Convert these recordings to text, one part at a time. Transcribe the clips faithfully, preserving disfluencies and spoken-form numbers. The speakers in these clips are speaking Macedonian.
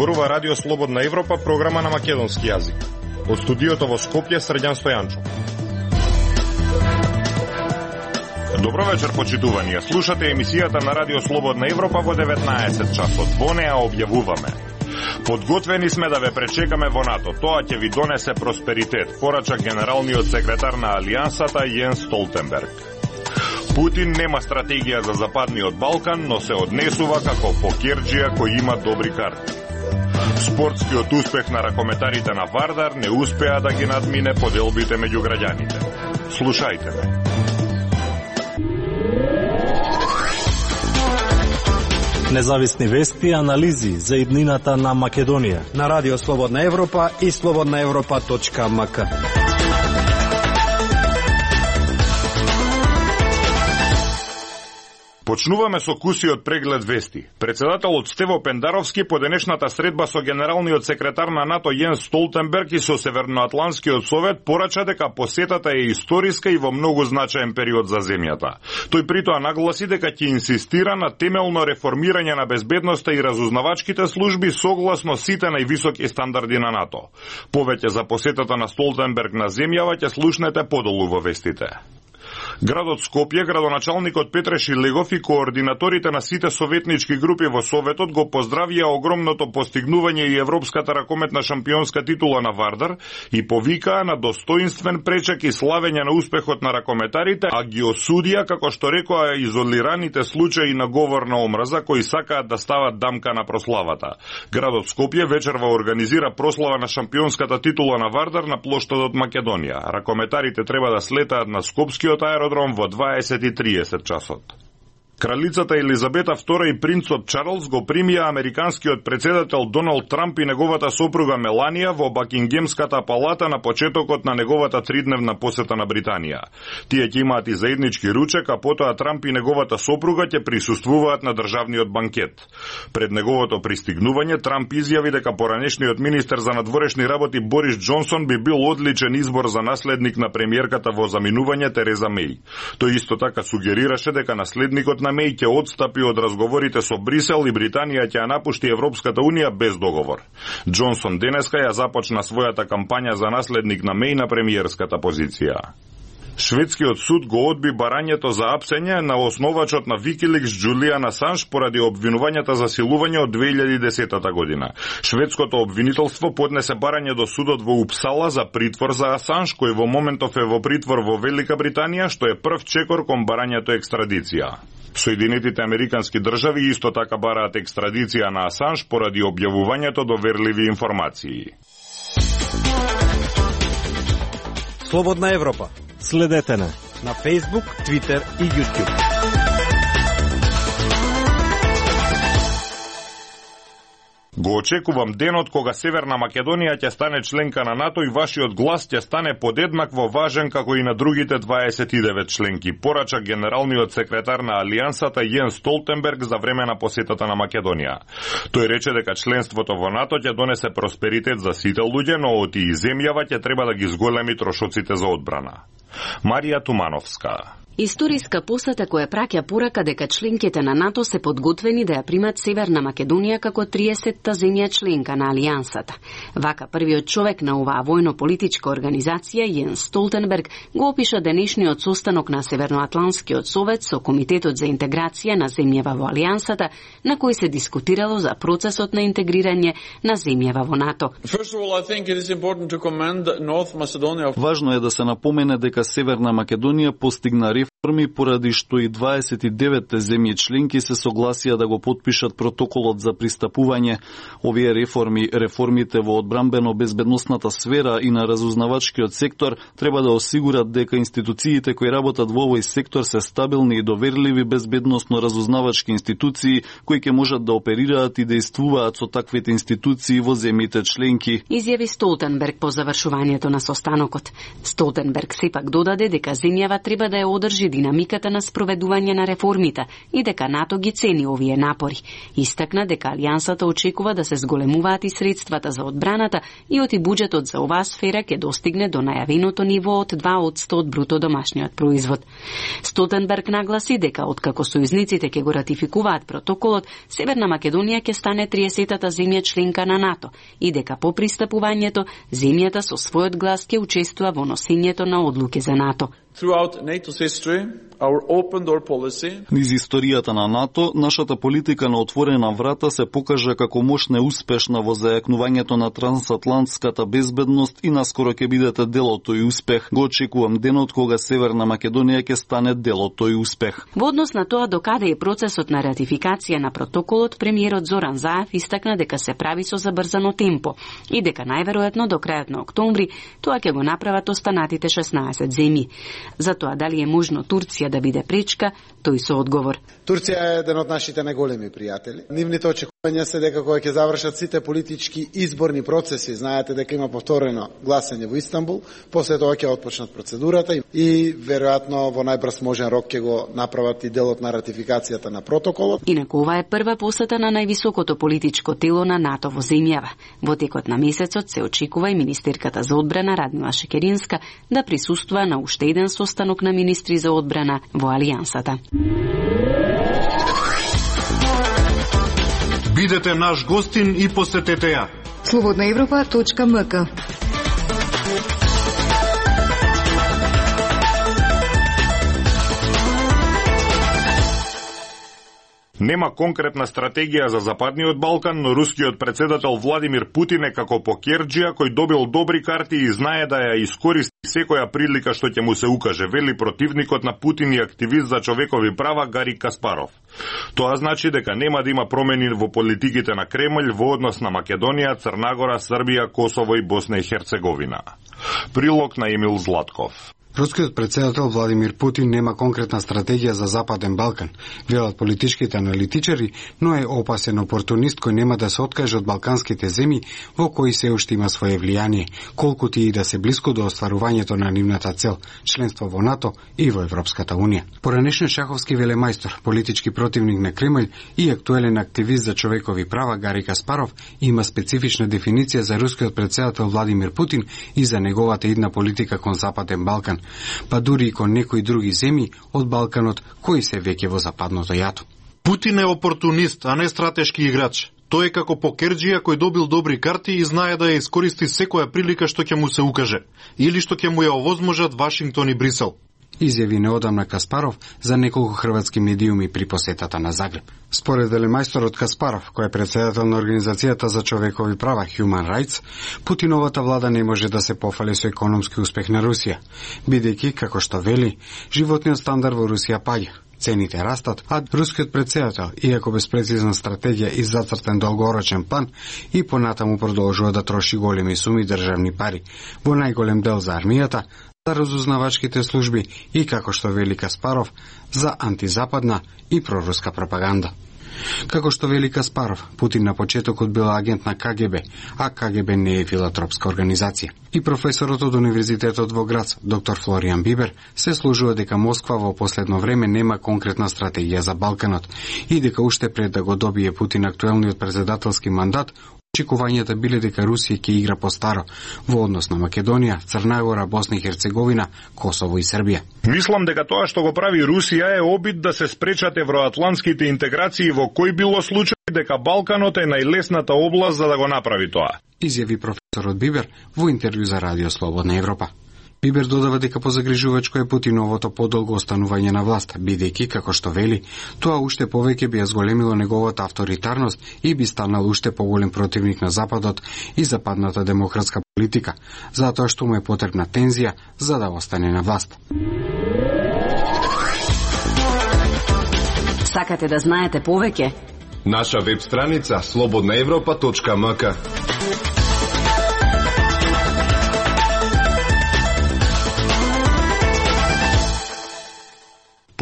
зборува Радио Слободна Европа, програма на македонски јазик. Од студиото во Скопје, Срđan Стојанчо. Добро вечер, почитувани. Слушате емисијата на Радио Слободна Европа во деветнаесет часот. Во неа објавуваме: подготвени сме да ве пречекаме во НАТО. Тоа ќе ви донесе просперитет, порача генералниот секретар на Алијансата Јенс Столтенберг. Путин нема стратегија за Западниот Балкан, но се однесува како покерџија кој има добри карти. Спортскиот успех на ракометарите на Вардар не успеа да ги надмине поделбите меѓу граѓаните. Слушајте ме. Независни вести и анализи за иднината на Македонија на Радио Слободна Европа и слободна европа точка ем ка. Почнуваме со кусиот преглед вести. Председателот Стево Пендаровски по денешната средба со генералниот секретар на НАТО Јенс Столтенберг и со Северноатланскиот совет порача дека посетата е историска и во многу значаен период за земјата. Тој притоа нагласи дека ќе инсистира на темелно реформирање на безбедноста и разузнавачките служби согласно сите највисоки стандарди на НАТО. Повеќе за посетата на Столтенберг на земјава ќе слушнете подолу во вестите. Градот Скопје, градоначалникот Петре Шилегов и координаторите на сите советнички групи во Советот го поздравија огромното постигнување и европската ракометна шампионска титула на Вардар и повикаа на достоинствен пречек и славење на успехот на ракометарите, а ги осудија, како што рекоа, изолираните случаи на говор на омраза кои сакаат да стават дамка на прославата. Градот Скопје вечерва организира прослава на шампионската титула на Вардар на плоштадот Македонија. Ракометарите треба да слетаат на Скопскиот аеродром во дваесет и триесет часот. Кралицата Елизабета втора и принцот Чарлс го примија американскиот председател Доналд Трамп и неговата сопруга Меланија во Бакингемската палата на почетокот на неговата тридневна посета на Британија. Тие ќе имаат и заеднички ручек, а потоа Трамп и неговата сопруга ќе присуствуваат на државниот банкет. Пред неговото пристигнување Трамп изјави дека поранешниот министер за надворешни работи Борис Џонсон би бил одличен избор за наследник на премиерката во заминување Тереза Меј. Тој исто така сугерираше дека наследникот на Меј ќе одстапи од разговорите со Брисел и Британија ќе ја напушти Европската унија без договор. Џонсон денеска ја започна својата кампања за наследник на Меј на премиерската позиција. Шведскиот суд го одби барањето за апсење на основачот на Викиликс Џулијан Асанж поради обвинувањата за силување од две илјади и десета година. Шведското обвинителство поднесе барање до судот во Упсала за притвор за Асанж, кој во моментов е во притвор во Велика Британија, што е прв чекор кон барањето екстрадиција. Соединетите американски држави исто така бараат екстрадиција на Асанж поради објавувањето доверливи информации. Слободна Европа. Следете на на Facebook, Twitter и YouTube. Го очекувам денот кога Северна Македонија ќе стане членка на НАТО и вашиот глас ќе стане подеднакво важен како и на другите дваесет и девет членки, порача генералниот секретар на Алијансата Јенс Столтенберг за време на посетата на Македонија. Тој рече дека членството во НАТО ќе донесе просперитет за сите луѓе, но оти и земјава ќе треба да ги зголеми трошоците за одбрана. Марија Тумановска. Историска посета која праќа порака дека членките на НАТО се подготвени да ја примат Северна Македонија како триесетта земја членка на Алијансата. Вака првиот човек на оваа војно-политичка организација, Јенс Столтенберг, го опиша денешниот состанок на Северноатланскиот совет со Комитетот за интеграција на земјава во Алијансата, на кој се дискутирало за процесот на интегрирање на земјава во НАТО. Важно е да се напомене дека Северна Македонија постигна реформи поради што и дваесет и деветте земји членки се согласија да го потпишат протоколот за пристапување. Овие реформи, реформите во одбранбено-безбедносната сфера и на разузнавачкиот сектор треба да осигурат дека институциите кои работат во овој сектор се стабилни и доверливи безбедносно-разузнавачки институции кои ќе можат да оперираат и действуваат со таквите институции во земјите членки. Изјави Столтенберг по завршувањето на состанокот. Столтенберг сепак додаде дека земјава треба да ја одржи динамиката на спроведување на реформите и дека НАТО ги цени овие напори. Истакна дека Алијансата очекува да се зголемуваат и средствата за одбраната и оти буџетот за оваа сфера ќе достигне до најавеното ниво од два одсто од бруто домашниот производ. Столтенберг нагласи дека откако сојузниците ќе го ратификуваат протоколот, Северна Македонија ќе стане триесеттата земја членка на НАТО и дека по пристапувањето земјата со својот глас ќе учествува во носењето на одлуки за НАТО. Throughout NATO's history, our open door policy... Низ историјата на НАТО, нашата политика на отворена врата се покажа како мощна и успешна во зајакнувањето на трансатлантската безбедност и наскоро ќе бидете дел од тој успех. Го очекувам денот кога Северна Македонија ќе стане дел од тој успех. Во однос на тоа докаде е процесот на ратификација на протоколот, премиерот Зоран Заев истакна дека се прави со забрзано темпо и дека најверојатно до крајот на октомври тоа ќе го направат останатите шеснаесет земји. За тоа дали е можно Турција да биде пречка, тој со одговор. Турција е еден од нашите најголеми пријатели. Нивните очекувања се дека кога ќе завршат сите политички изборни процеси, знаете дека има повторено гласање во Истанбул, после тоа ќе отпочнат процедурата и веројатно во најбрз можен рок ќе го направат и делот на ратификацијата на протоколот. Инаку ова е прва посета на највисокото политичко тело на НАТО во земјава. Во текот на месецот се очекува и министерката за одбрана Радмила Шекеринска да присуствува на уште еден состанок на министри за одбрана во Алијансата. Бидете наш гостин и посетете ја. слободна европа точка ем ка. Нема конкретна стратегија за Западниот Балкан, но рускиот председател Владимир Путин е како покерџија кој добил добри карти и знае да ја искористи секоја прилика што ќе му се укаже, вели противникот на Путин и активист за човекови права Гари Каспаров. Тоа значи дека нема да има промени во политиките на Кремљ во однос на Македонија, Црнагора, Србија, Косово и Босна и Херцеговина. Прилог на Емил Златков. Рускиот председател Владимир Путин нема конкретна стратегија за Западен Балкан, велат политичките аналитичари, но е опасен опортунист кој нема да се откаже од балканските земји во кои се уште има своје влијание, колкуто и да се блиску до остварувањето на нивната цел, членство во НАТО и во Европската Унија. Поранешниот шаховски велемајстор, политички противник на Кремљ и актуелен активист за човекови права Гари Каспаров има специфична дефиниција за рускиот председател Владимир Путин и за неговата идна политика кон Западен Балкан, па дури и кон некои други земји од Балканот кои се веќе во западното јато. Путин е опортунист, а не стратешки играч. Тој е како покерџија кој добил добри карти и знае да ја искористи секоја прилика што ќе му се укаже, или што ќе му ја овозможат Вашингтон и Брисел. Изјави неодамна Каспаров за неколку хрватски медиуми при посетата на Загреб. Според велемајсторот Каспаров, кој е председател на Организацијата за човекови права Human Rights, Путиновата влада не може да се пофали со економски успех на Русија, бидејќи, како што вели, животниот стандард во Русија паѓа. Цените растат, а рускиот председател, иако без прецизна стратегија и зацртен долгорочен план, и понатаму продолжува да троши големи суми државни пари, во најголем дел за армијата, за разузнавачките служби и, како што вели Каспаров, за антизападна и проруска пропаганда. Како што вели Каспаров, Путин на почетокот бил агент на Ка Ге Бе, а Ка Ге Бе не е филантропска организација. И професорот од Универзитетот во Грац, доктор Флоријан Бибер, се служува дека Москва во последно време нема конкретна стратегија за Балканот и дека уште пред да го добие Путин актуелниот председателски мандат, очекувањата биле дека Русија ќе игра постаро во однос на Македонија, Црнагора, Босна и Херцеговина, Косово и Србија. Мислам дека тоа што го прави Русија е обид да се спречат евроатлантските интеграции во кој било случај дека Балканот е најлесната област за да го направи тоа, изјави професорот Бибер во интервју за Радио Слободна Европа. Бибер додава дека позагрижувачко е Путиновото подолго останување на власт, бидејќи, како што вели, тоа уште повеќе би ја зголемило неговата авторитарност и би станал уште поголем противник на Западот и западната демократска политика, затоа што му е потребна тензија за да остане на власт. Сакате да знаете повеќе? Наша веб страница слободна европа точка ем ка.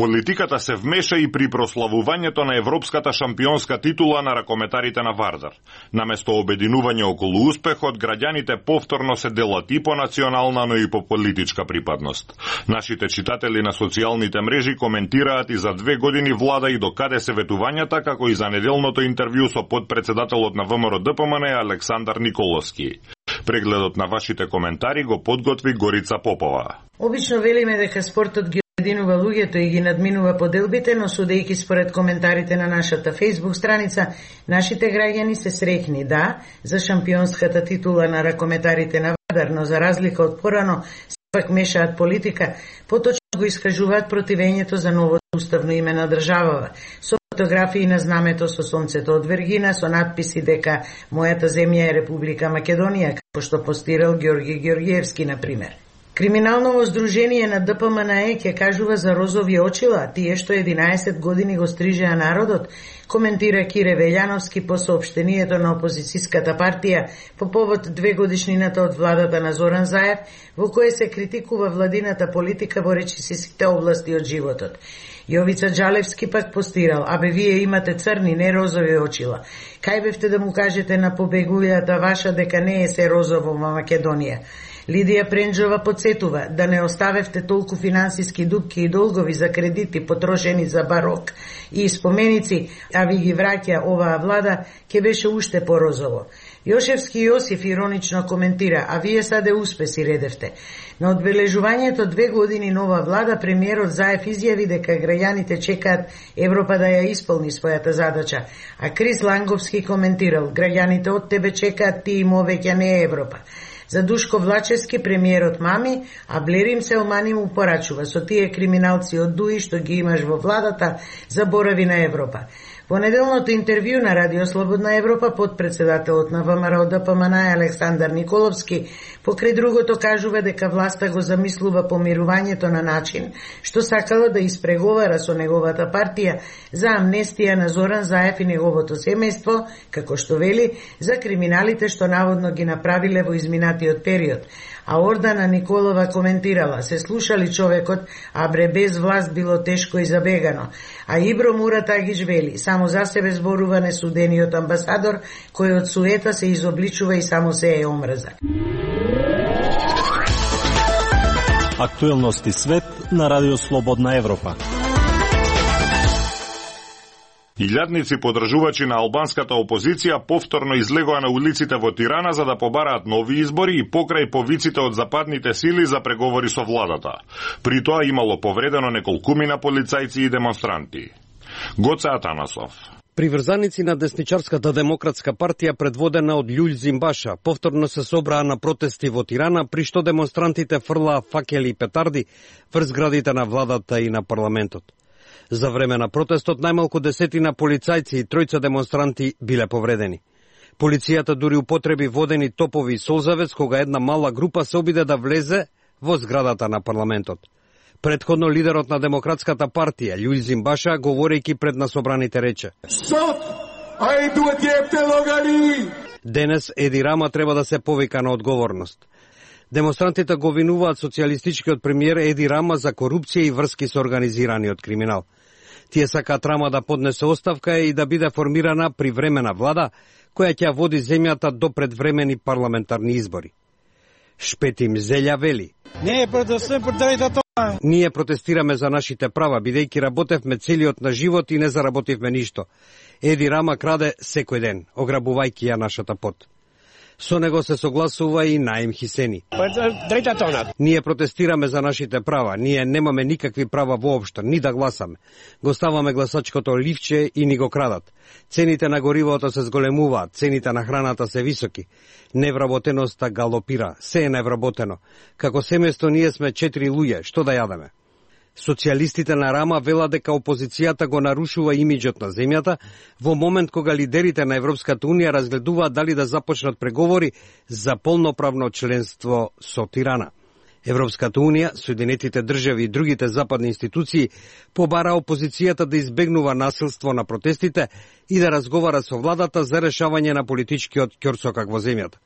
Политиката се вмеша и при прославувањето на европската шампионска титула на ракометарите на Вардар. Наместо обединување околу успехот, граѓаните повторно се делат и по национална, но и по политичка припадност. Нашите читатели на социјалните мрежи коментираат и за две години влада и до каде се ветувањата, како и за неделното интервју со подпредседателот на ВМРО Д П М Н Александар Николовски. Прегледот на вашите коментари го подготви Горица Попова. Обично велиме дека спортот ги обединува луѓето и ги надминува поделбите, но судејќи според коментарите на нашата Facebook страница, нашите граѓани се среќни, да, за шампионската титула на ракометарите на Вардар, но за разлика од порано, сепак мешаат политика, поточно го искажуваат противењето за новото уставно име на државава, со фотографии на знамето со сонцето од Вергина, со надписи дека мојата земја е Република Македонија, како што постирал Ѓорги Ѓоргиевски, например. Криминалново здружение на Д П М Н Е ќе кажува за розови очила, тие што единаесет години го стрижеа народот, коментира Кире Велјановски по соопштението на опозицијската партија по повод две годишнината од владата на Зоран Заев, во кое се критикува владината политика во речиси сите области од животот. Јовица Джалевски пак постирал, абе вие имате црни, не розови очила. Кај бевте да му кажете на побегулјата ваша дека не е се розово во Македонија? Лидија Пренџова подсетува да не оставевте толку финансиски дупки и долгови за кредити потрошени за барок и споменици, а ви ги враќа оваа влада, ќе беше уште порозово. Јошевски Јосиф иронично коментира, а вие саде успеси редевте. На одбележувањето две години нова влада, премиерот Заев изјави дека граѓаните чекаат Европа да ја исполни својата задача, а Крис Ланговски коментирал, граѓаните од тебе чекаат, ти им овеќе не Европа. За Душко Влачевски премиерот мами, а Блерим Селмани му порачува, со тие криминалци од Дуи што ги имаш во владата, заборави на Европа. Во неделното интервју на Радио Слободна Европа, подпредседателот на ВМРО Д П М Н Александар Николовски покрај другото кажува дека власта го замислува помирувањето на начин што сакала да испреговара со неговата партија за амнестија на Зоран Заев и неговото семејство, како што вели, за криминалите што наводно ги направиле во изминатиот период. А Ордана Николова коментирала, се слушали човекот, а бре без власт било тешко и забегано. А Ибро Муратагич вели, само за себе зборува несудениот амбасадор, кој од суета се изобличува и само се е омрза. Актуелности свет на Радио Слободна Европа. Илјадници подржувачи на албанската опозиција повторно излегоа на улиците во Тирана за да побараат нови избори и покрај повиците од западните сили за преговори со владата. При тоа имало повредено неколкумина полицајци и демонстранти. Гоце Атанасов. Приврзаници на десничарската демократска партија предводена од Љулј Зимбаша повторно се собраа на протести во Тирана, при што демонстрантите фрлаа факели и петарди врз зградите на владата и на парламентот. За време на протестот најмалку десетина полицајци и тројца демонстранти биле повредени. Полицијата дури употреби водени топови и солзавец кога една мала група се обиде да влезе во зградата на парламентот. Предходно лидерот на демократската партија Љулј Зимбаша, говорејќи пред насобраните, рече: денес Еди Рама треба да се повика на одговорност. Демонстрантите го винуваат социјалистичкиот премиер Еди Рама за корупција и врски со организираниот криминал. Тие сакаат Рама да поднесе оставка и да биде формирана привремена влада, која ќе води земјата до предвремени парламентарни избори. Шпетим Зелја вели: Не, тоа. Ние протестираме за нашите права, бидејќи работевме целиот на живот и не заработивме ништо. Еди Рама краде секој ден, ограбувајќи ја нашата пот. Со него се согласува и Наим Хисени. Ние протестираме за нашите права, ние немаме никакви права воопшто, ни да гласаме. Го ставаме гласачкото ливче и ни го крадат. Цените на горивото се зголемуваат, цените на храната се високи. Невработеноста галопира, се е невработено. Како семејство ние сме четири луѓе, што да јадеме? Социјалистите на Рама велат дека опозицијата го нарушува имиџот на земјата во момент кога лидерите на Европската унија разгледуваат дали да започнат преговори за полноправно членство со Тирана. Европската унија, Соединетите држави и другите западни институции побара опозицијата да избегнува насилство на протестите и да разговара со владата за решавање на политичкиот ќорсокак во земјата.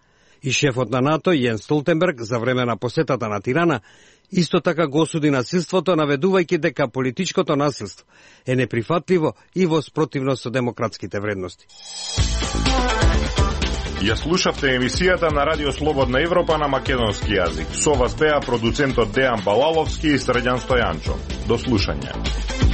И шефот на НАТО, Јен Столтенберг, за време на посетата на Тирана, исто така го осуди насилството, наведувајќи дека политичкото насилство е неприфатливо и во спротивност со демократските вредности. Ја слушавте емисијата на Радио Слободна Европа на македонски јазик. Со вас беа продуцентот Дејан Балаловски и Средјан Стојанчо. До слушање.